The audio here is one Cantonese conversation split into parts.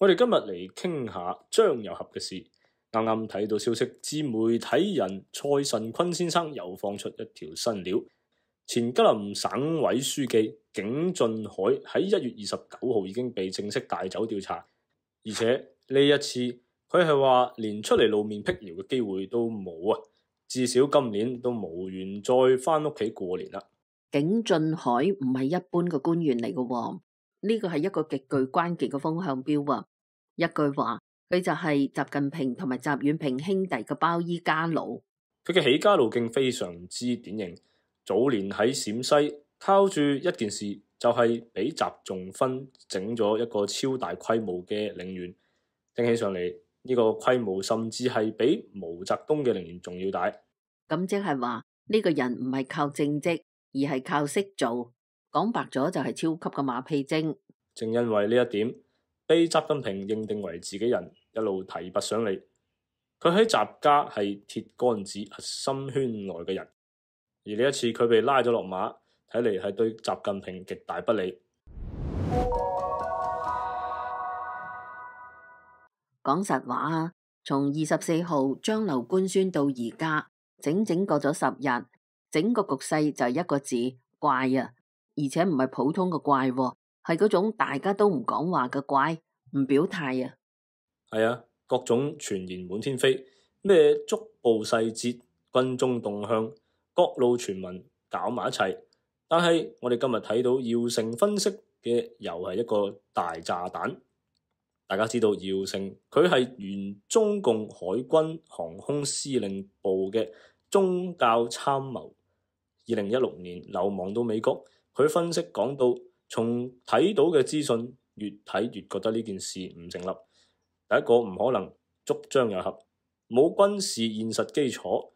我哋今日嚟傾下張又俠嘅事。啱啱睇到消息，自媒體人蔡慎坤先生又放出一條新料。前吉林省委書記景俊愷喺1月29號已經被正式帶走調查，而且呢一次佢係話連出嚟露面辟謠嘅機會都冇啊！至少今年都無緣再返屋企過年啦。景俊愷唔係一般嘅官員嚟嘅，呢個係一個極具關鍵嘅風向標啊！一句話，佢就係習近平同埋習遠平兄弟嘅包衣家佬。佢嘅起家路徑非常之典型。早年喺陝西靠住一件事，就係俾習仲勳整咗一個超大規模嘅陵園，聽起上嚟呢個規模甚至係比毛澤東嘅陵園仲要大。咁即係話呢個人唔係靠政績，而係靠識做。講白咗就係超級嘅馬屁精。正因為呢一點，被習近平認定為自己人，一路提拔上嚟。佢喺習家係鐵桿子核心圈內嘅人。而呢一次佢被拉咗落馬，睇嚟係對習近平極大不利。講實話啊，從24號張劉官宣到而家，整整過咗10日，整個局勢就係一個字：怪啊！而且唔係普通嘅怪，係嗰種大家都唔講話嘅怪，唔表態啊。係啊，各種傳言滿天飛，咩捉捕細節、軍中動向。各路傳聞搞埋一齊，但係我哋今日睇到姚成分析嘅又係一個大炸彈。大家知道姚成佢係原中共海軍航空司令部嘅宗教參謀，2016年流亡到美國。佢分析講到，從睇到嘅資訊越睇越覺得呢件事唔成立。第一個唔可能捉張又俠，冇軍事現實基礎。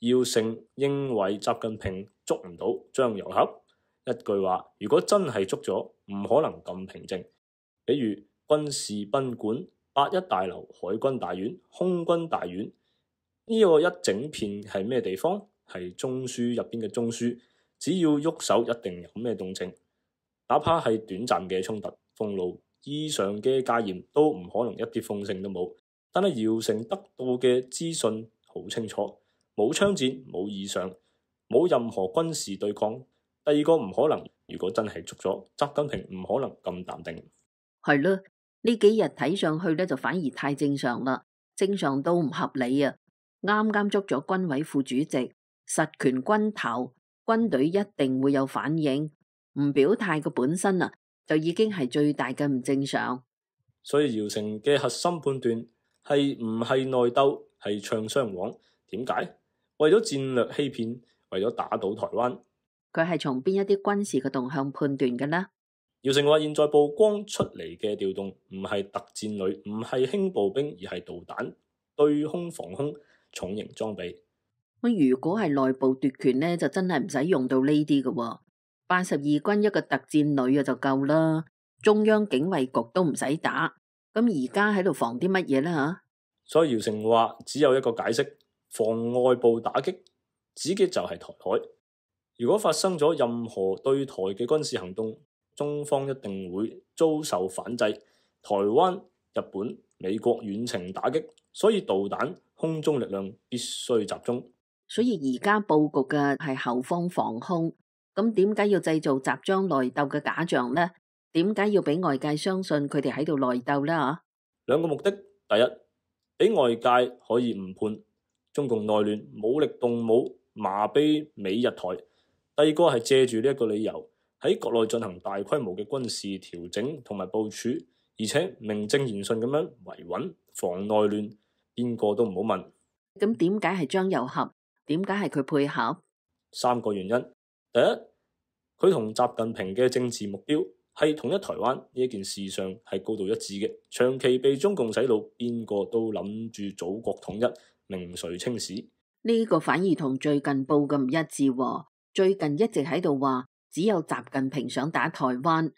姚成認為習近平捉唔到張又俠，一句話，如果真係捉咗，唔可能咁平靜。比如軍事賓館、8·1大樓、海軍大院、空軍大院，呢個一整片係咩地方？係中樞入邊嘅中樞，只要喐手一定有咩動靜，哪怕係短暫嘅衝突、封路、異常嘅戒嚴，都唔可能一啲風聲都冇。但係姚成得到嘅資訊好清楚。冇槍戰，冇異常，冇任何軍事對抗。第二個唔可能，如果真係捉咗，習近平唔可能咁淡定。係咯，呢幾日睇上去咧就反而太正常啦，正常都唔合理啊！啱啱捉咗軍委副主席，實權軍頭，軍隊一定會有反應。唔表態嘅本身啊，就已經係最大嘅唔正常。所以姚成嘅核心判斷係唔係內鬥，係唱雙簧。點解？為咗戰略欺騙，為咗打倒台灣。佢係從邊一啲軍事嘅動向判斷嘅呢？姚成話：現在曝光出嚟嘅調動唔係特戰旅，唔係輕步兵，而係導彈、對空防空、重型裝備。咁如果係內部奪權呢，就真係唔使用到呢啲嘅。82軍一個特戰旅就夠啦，中央警衛局都唔使打。咁而家喺度防啲乜嘢呢？吓？所以姚成話只有一個解釋。防外部打擊，指嘅就係台海。如果發生咗任何對台嘅軍事行動，中方一定會遭受反制。台灣、日本、美國遠程打擊，所以導彈、空中力量必須集中。所以而家佈局嘅係後方防空。咁點解要製造集裝內鬥嘅假象呢？點解要俾外界相信佢哋喺度內鬥呢？吓，兩個目的：第一，俾外界可以誤判中共內亂，武力動武，麻痹美日台。第二個係借住呢一個理由，喺國內進行大規模嘅軍事調整同埋部署，而且名正言順咁樣維穩防內亂，邊個都唔好問。咁點解係張又俠？點解係佢配合？三個原因。第一，佢同習近平嘅政治目標係統一台灣呢一件事上係高度一致嘅。長期被中共洗腦，邊個都諗住祖國統一。名垂青史，呢個反而同最近報嘅唔一致喎。最近一直喺度話只有習近平想打台灣，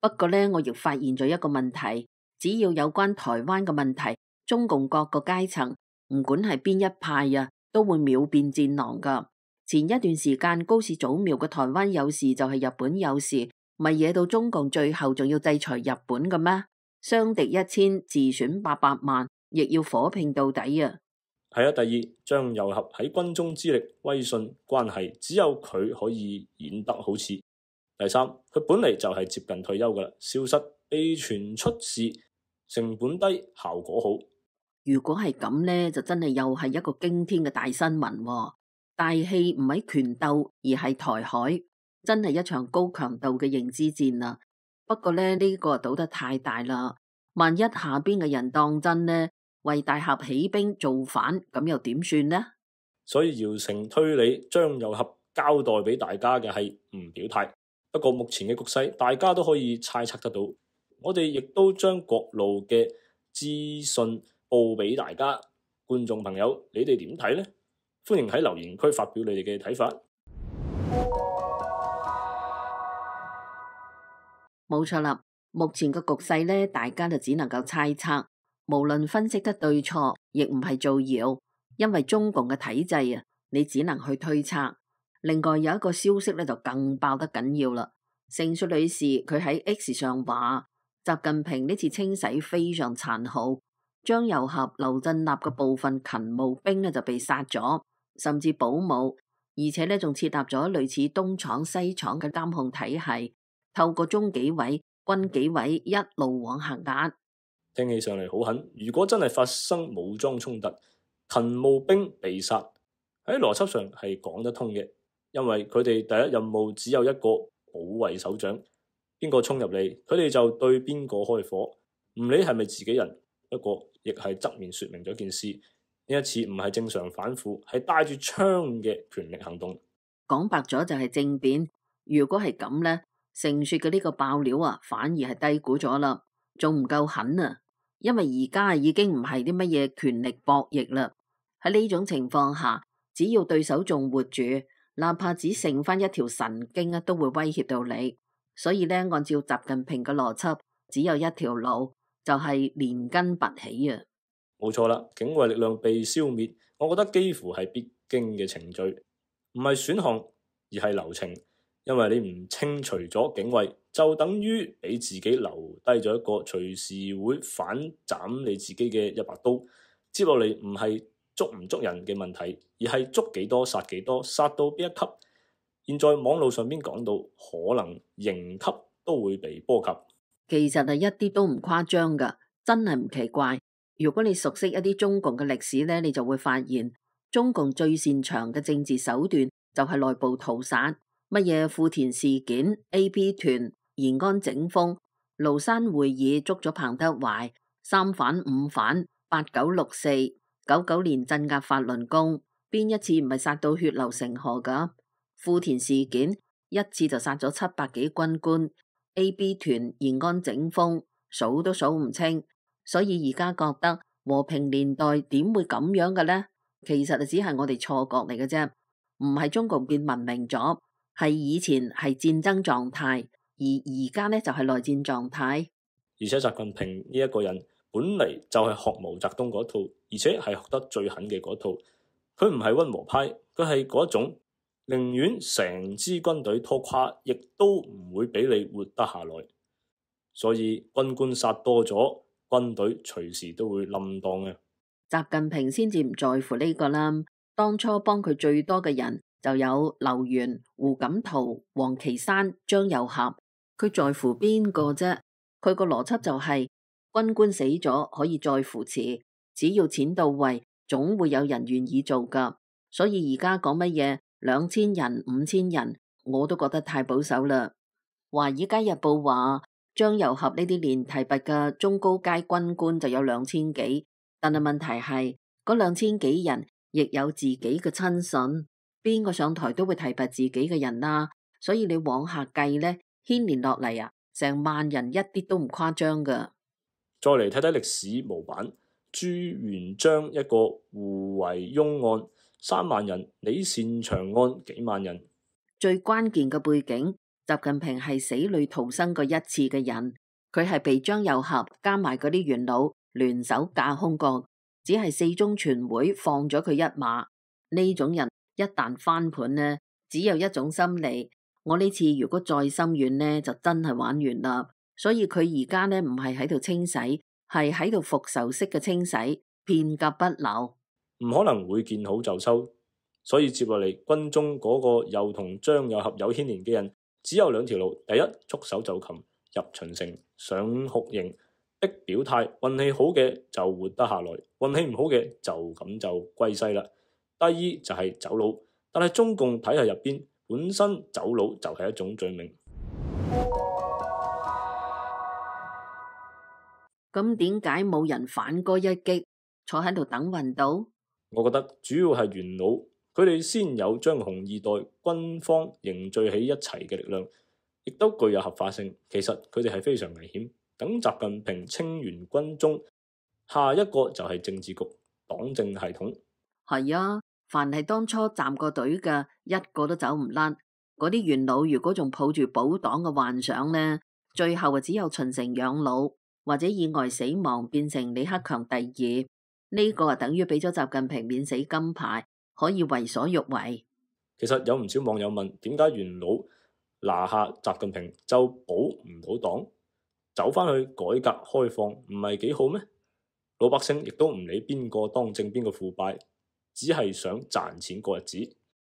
不過呢，我亦發現咗一個問題，只要有關台灣嘅問題，中共各個階層唔管係邊一派啊，都會秒變戰狼噶。前一段時間高市早苗嘅台灣有事就係日本有事，咪惹到中共最後仲要制裁日本嘅咩？傷敵1000，自損800萬，亦要火拼到底啊！係啊，第二，張又俠喺軍中之力、威信、關係，只有佢可以演得好似。第三，佢本嚟就係接近退休噶啦，消失被傳出事，成本低，效果好。如果係咁呢，就真係又係一個驚天嘅大新聞喎。大戲唔係拳鬥，而係台海，真係一場高強度嘅認知戰啦。不過呢，呢個賭得太大啦，萬一下邊嘅人當真呢，為大俠起兵造反，咁又點算呢？所以姚成推理張又俠交代俾大家嘅係唔表態。不過目前嘅局勢，大家都可以猜測得到。我哋亦都將各路嘅資訊報俾大家，觀眾朋友，你哋點睇呢？歡迎喺留言區發表你哋嘅睇法。冇錯啦，目前嘅局勢呢，大家就只能夠猜測，無論分析得對錯，亦唔係造謠，因為中共嘅體制啊，你只能去推測。另外有一個消息咧就更爆得緊要啦，盛雪女士佢喺 X 上話，習近平呢次清洗非常殘酷，張又俠、劉振立嘅部分勤務兵呢就被殺咗，甚至保姆，而且呢仲設立咗類似東廠西廠嘅監控體系，透過中紀委、軍紀委一路往下壓。聽起上嚟好狠，如果真係發生武裝衝突，勤務兵被殺，喺邏輯上係講得通嘅。因為佢哋第一任務只有一個，保衛首長，邊個衝入嚟，佢哋就對邊個開火，唔理係咪自己人。不過亦係側面說明咗件事，呢一次唔係正常反腐，係帶住槍嘅權力行動。講白咗就係政變。如果係咁呢，盛雪嘅呢個爆料啊，反而係低估咗啦，仲唔夠狠啊！因為而家已經唔係啲乜嘢權力博弈啦。喺呢種情況下，只要對手仲活住，哪怕只剩翻一條神經啊，都會威脅到你。所以呢，按照習近平嘅邏輯，只有一條路，就係連根拔起啊！冇錯啦，警衛力量被消滅，我覺得幾乎係必經嘅程序，唔係選項，而係流程。因為你唔清除咗警衛，就等於俾自己留低咗一個隨時會反斬你自己嘅一把刀。接落嚟唔係捉唔捉人嘅問題，而係捉幾多殺幾多，殺到邊一級。現在網路上邊講到可能刑級都會被波及，其實係一啲都唔誇張噶，真係唔奇怪。如果你熟悉一啲中共嘅歷史呢，你就會發現中共最擅長嘅政治手段就係內部屠殺。乜嘢富田事件、AP 團、延安整風、廬山會議捉咗彭德懷、3反5反、8964、99年鎮壓法輪功，邊一次唔係殺到血流成河噶？富田事件一次就殺咗700幾軍官，AB 團、延安整風數都數唔清，所以而家覺得和平年代點會咁樣嘅呢？其實只係我哋錯覺嚟嘅啫，唔係中共變文明咗。係以前係戰爭狀態，而而家呢就係內戰狀態。而且習近平呢一個人本嚟就係學毛澤東嗰套，而且係學得最狠嘅嗰套。佢唔係溫和派，佢係嗰種寧願成支軍隊拖垮，亦都唔會俾你活得下來。所以軍官殺多咗，軍隊隨時都會冧檔嘅。習近平先至唔在乎呢個啦，當初幫佢最多嘅人。就有劉源、胡錦濤、王岐山、張又俠，佢在乎邊個啫？佢個邏輯就係軍官死咗可以再扶持，只要錢到位，總會有人願意做噶。所以而家講乜嘢2000人、5000人，我都覺得太保守啦。華爾街日報話張又俠呢啲連提拔嘅中高階軍官就有2000幾，但係問題係嗰2000幾人亦有自己嘅親信。邊個上台都會提拔自己嘅人啦，所以你往下計呢，牽連落嚟啊，成萬人一啲都唔誇張噶。再嚟睇睇歷史模板，朱元璋一個胡惟庸案3萬人，李善長案幾萬人。最關鍵嘅背景，習近平係死裏逃生過一次嘅人，佢係被張又俠加埋嗰啲元老聯手架空過，只係四中全會放咗佢一馬。呢種人一旦翻盤呢，只有一種心理，我呢次如果再心軟呢，就真係玩完啦。所以佢而家呢唔係喺度清洗，係喺度復仇式嘅清洗，片甲不留。唔可能會見好就收，所以接落嚟軍中嗰個又同張又俠有牽連嘅人，只有兩條路：第一，束手就擒入秦城上酷刑，逼表態，運氣好嘅就活得下來，運氣唔好嘅就咁就歸西啦。第二就係走佬，但係中共體系入邊本身走佬就係一種罪名。咁點解冇人反戈一擊，坐喺度等運到？我覺得主要係元老，佢哋先有將紅二代軍方凝聚起一齊嘅力量，亦都具有合法性。其實佢哋係非常危險。等習近平清完軍中，下一個就係政治局、黨政系統。係啊，凡係當初站過隊嘅，一個都走唔甩。嗰啲元老如果仲抱住保黨嘅幻想呢，最後只有秦城養老，或者意外死亡，變成李克強第二。呢個等於俾咗習近平免死金牌，可以為所欲為。其實有唔少網友問，點解元老拿下習近平就保唔到黨，走翻去改革開放唔係幾好咩？老百姓亦都唔理邊個當政邊個腐敗，只係想賺錢過日子。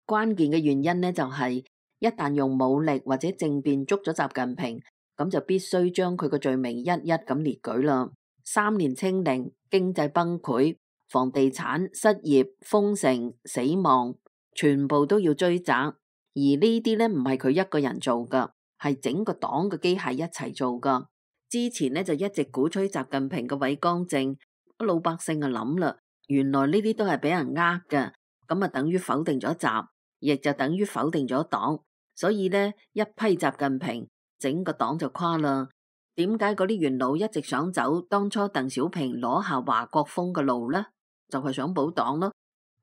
關鍵嘅原因呢，就係一旦用武力或者政變捉咗習近平，咁就必須將佢個罪名一一咁列舉啦。3年清零，經濟崩潰，房地產失業，封城，死亡，全部都要追責。而呢啲呢，唔係佢一個人做噶，係整個黨嘅機械一齊做噶。之前呢，就一直鼓吹習近平嘅偉光正，老百姓就諗啦，原來呢啲都係俾人呃嘅，咁啊等於否定咗習，亦就等於否定咗黨。所以呢，一批習近平，整個黨就垮啦。點解嗰啲元老一直想走當初鄧小平攞下華國鋒嘅路呢？就係想保黨咯。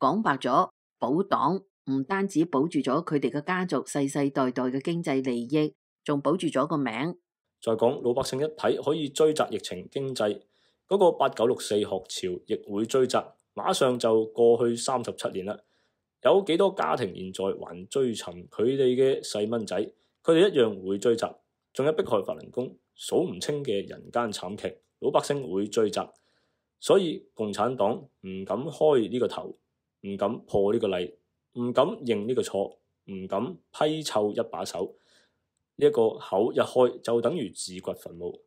講白咗，保黨唔單止保住咗佢哋嘅家族世世代代嘅經濟利益，仲保住咗個名。再講老百姓一睇可以追責疫情經濟，嗰個8964學潮亦會追責，馬上就過去37年啦。有幾多家庭現在還追尋佢哋嘅細蚊仔？佢哋一樣會追責。仲有迫害法輪功，數唔清嘅人間慘劇，老百姓會追責。所以共產黨唔敢開呢個頭，唔敢破呢個例，唔敢認呢個錯，唔敢批臭一把手。呢一個口一開就等於自掘墳墓。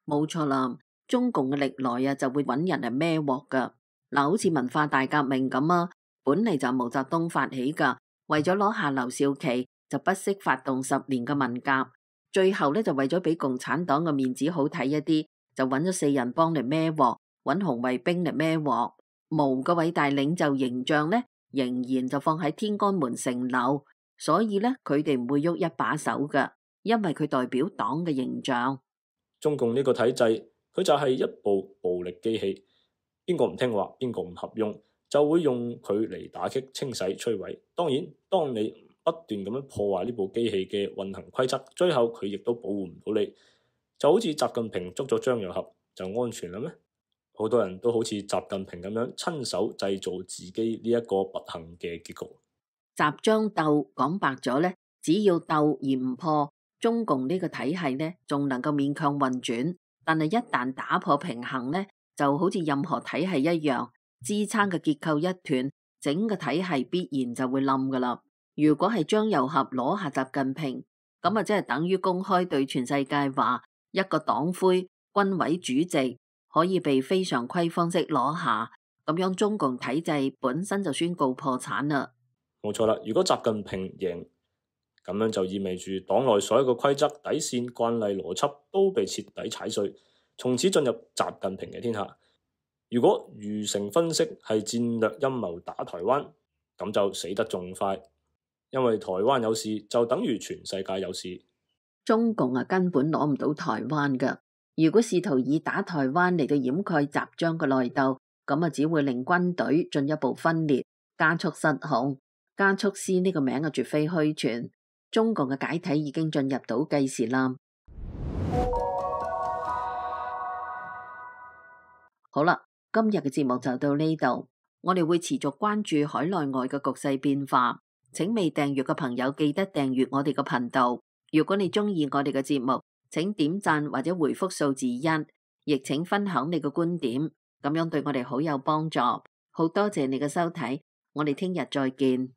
冇錯啦，中共嘅歷來就會揾人嚟孭鑊噶。嗱，好似文化大革命咁啊，本嚟就毛澤東發起噶，為咗攞下劉少奇，就不惜發動10年嘅文革。最後呢，就為咗俾共產黨嘅面子好睇一啲，就揾咗4人幫嚟孭鑊，揾紅衛兵嚟孭鑊。毛嘅偉大領袖形象呢，仍然就放喺天安門城樓，所以呢，佢哋唔會喐一把手噶，因為佢代表黨嘅形象。中共呢個體制，佢就係一部暴力機器，邊個唔聽話，邊個唔合用，就會用佢嚟打擊、清洗、摧毀。當然，當你不斷咁樣破壞呢部機器嘅運行規則，最後佢亦都保護唔到你。就好似習近平捉咗張又俠就安全啦咩？好多人都好似習近平咁樣親手製造自己呢一個不幸嘅結局。習張鬥講白咗呢，只要鬥而唔破，中共呢個體系呢仲能夠勉強運轉。但係一旦打破平衡呢，就好似任何體系一樣，支撐嘅結構一斷，整個體系必然就會冧噶啦。如果係張又俠攞下習近平，咁啊即係等於公開對全世界話，一個黨魁、軍委主席可以被非常規方式攞下，咁樣中共體制本身就宣告破產啦。冇錯啦，如果習近平贏，咁樣就意味住黨內所有嘅規則、底線、慣例、邏輯都被徹底踩碎，從此進入習近平嘅天下。如果余承分析係戰略陰謀打台灣，咁就死得仲快。因為台灣有事就等於全世界有事。中共根本攞唔到台灣噶。如果試圖以打台灣嚟到掩蓋習張嘅內鬥，咁只會令軍隊進一步分裂，加速失控。加速師呢個名絕非虛傳。中共嘅解體已經進入倒計時啦。好啦，今日嘅節目就到呢度，我哋會持續關注海內外嘅局勢變化。請未訂閱嘅朋友記得訂閱我哋嘅頻道。如果你鍾意我哋嘅節目，請點讚或者回覆數字1，亦請分享你嘅觀點，咁樣對我哋好有幫助。好多謝你嘅收睇，我哋聽日再見。